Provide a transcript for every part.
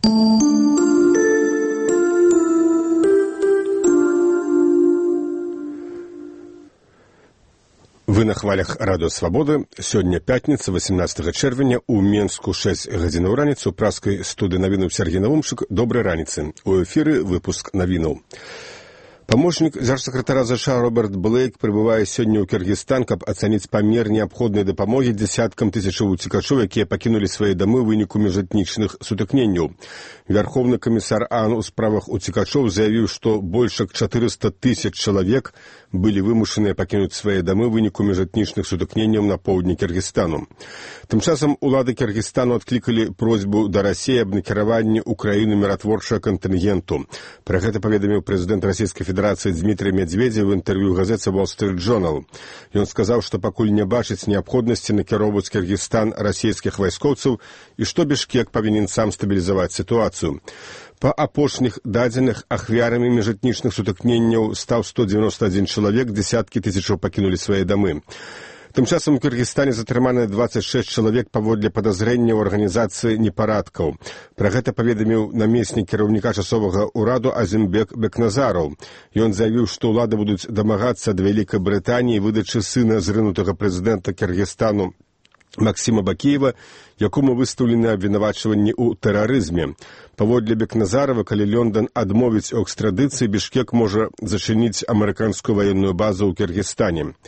Вы на хвалях Радыё Свабода. Сёння пятніца, 18 чэрвеня, у Менску 6 гадзінаў раніцы, у праскай студыі навінаў Сергей Навумчык. Добрай раніцы. У эфіры выпуск навінаў. Памочнік дзяржсакратара ЗША Роберт Блейк прыбывае сёння ў Кіргізстан, каб ацаніць памер неабходнай дапамогі дзесяткам тысячаў уцекачоў, якія пакінулі свае дамы ў выніку міжэтнічных сутыкненняў. Вярхоўны камісар АН у справах уцекачоў заявіў, што больш як 400 тысяч чалавек былі вымушаныя пакінуць свае дамы ў выніку міжэтнічных сутыкненняў на поўдні Кіргізстану. Тым часам улады Кіргізстану адклікалі просьбу да Расіі аб накіраванні ў краіну міратворчага кантынгенту. Пра гэта паведаміў прэзідэнт Расійскай Федэрацыі Дмітрый Медведзев у інтэрв'ю газеце Wall Street Journal. Ён сказаў, што пакуль не бачыць неабходнасці накіроўваць Кіргізстан расійскіх вайскоўцаў і што Бішкек павінен сам стабілізаваць сітуацыю. Па апошніх дадзеных ахвярамі міжэтнічных сутыкненняў стаў 191 чалавек, дзесяткі тысячаў пакінулі свае дамы. Тым часам у Кіргізстане затрыманы 26 чалавек паводле падазрэння ў арганізацыі непарадкаў. Пра гэта паведаміў намеснік кіраўніка часовага ўраду Азімбек Бекназараў. Ён заявіў, што ўлады будуць дамагацца ад Вялікай Брытаніі выдачы сына зрынутага прэзідэнта Кіргізстану Максіма Бакіева, якому выстаўлены абвінавачванні ў тэрарызме. Паводле Бекназарова, калі Лондон адмовіць у экстрадыцыі, Бішкек можа зачыніць амерыканскую ваенную базу ў Кіргізстане.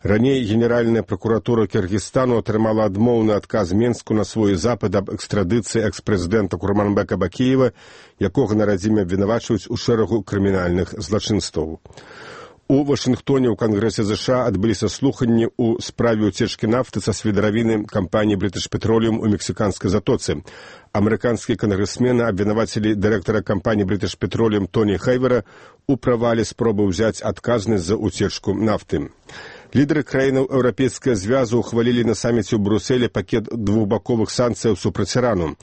Раней Генеральная прокуратура Кіргізстану атрымала адмоўны адказ Менску на свой запыт аб экстрадыцыі экс-прэзідэнта Курманбека Бакіева, якога на радзіме абвінавачваюць у шэрагу крымінальных злачынстваў. У Вашынгтоне ў Кангрэсе ЗША адбыліся слуханні ў справе ўцечкі нафты са свідравіны кампаніі British Petroleum у мексіканскай затоцы. Амерыканскія кангрэсмены абвінавацілі дырэктара кампаніі British Petroleum Тоні Хейвера у правале спробы ўзяць адказнасць за ўцечку нафты. Лідары краінаў Еўрапейскага звязу ухвалілі на саміце ў Брусэле пакет двухбаковых санкцыяў супраць Ірану.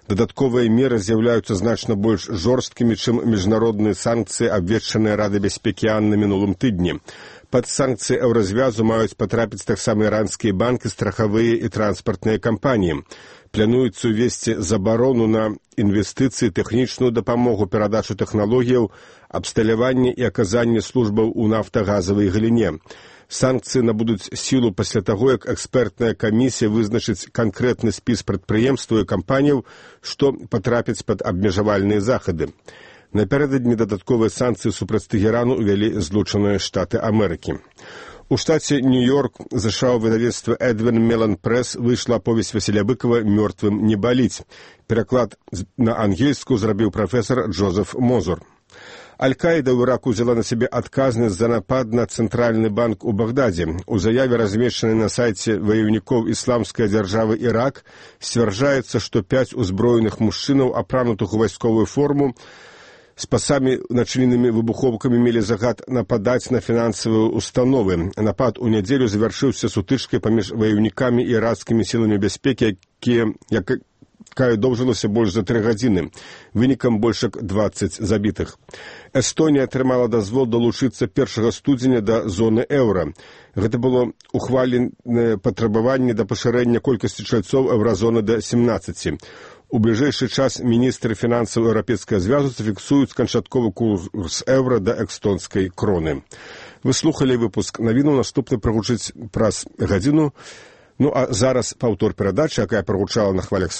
Дадатковыя меры з'яўляюцца значна больш жорсткімі, чым міжнародныя санкцыі, абвешчаныя Радай бяспекі АН на мінулым тыдні. Пад санкцыі еўразвязу маюць патрапіць таксама іранскія банкі, страхавыя і транспартныя кампаніі. Плануецца ўвесці забарону на інвестыцыі, тэхнічную дапамогу, перадачу тэхналогіяў, абсталяванне і аказанне службаў у нафтагазавай галіне. Санкцыі набудуць сілу пасля таго, як экспертная камісія вызначыць канкрэтны спіс прадпрыемстваў і кампаніяў, што патрапяць пад абмежавальныя захады. Напярэдадні дадатковыя санкцыі супраць Тэгерану ўвялі Злучаныя Штаты Амерыкі. У штаце Нью-Йорк ЗША ў выдавецтва Эдвин Мелан Прэс выйшла аповесць Васіля Быкова «Мёртвым не баліць». Пераклад на ангельскую зрабіў прафесар Джозеф Мозур. Аль-Каіда ў Іраку взяла на сябе адказнасць за напад на цэнтральны банк у Багдадзе. У заяве, размешчанай на сайце ваяўнікоў ісламскай дзяржавы Ірак, сцвярджаецца, што 5 узброеных мужчынаў, апранутых у вайсковую форму, з пасамі, начыненымі выбуховкамі, мелі загад нападаць на фінансавыя установы. Напад у нядзелю завяршыўся сутычкай паміж ваяўнікамі і іракскімі сіламі бяспекі, якая доўжылася больш за 3 гадзіны. Вынікам больш як 20 забітых. Эстонія атрымала дазвол далучыцца 1 студзеня да зоны еўра. Гэта было ухваленае патрабаванне да пашырэння колькасці чальцоў еўразоны да 17. У бліжэйшы час міністры фінансаў Еўрапейскага звязу зафіксуюць канчатковы курс еўра да эстонскай кроны. Вы слухалі выпуск навіну, наступны прагучыць праз гадзіну. Ну а зараз паўтор перадачы, якая прагучала на хвалях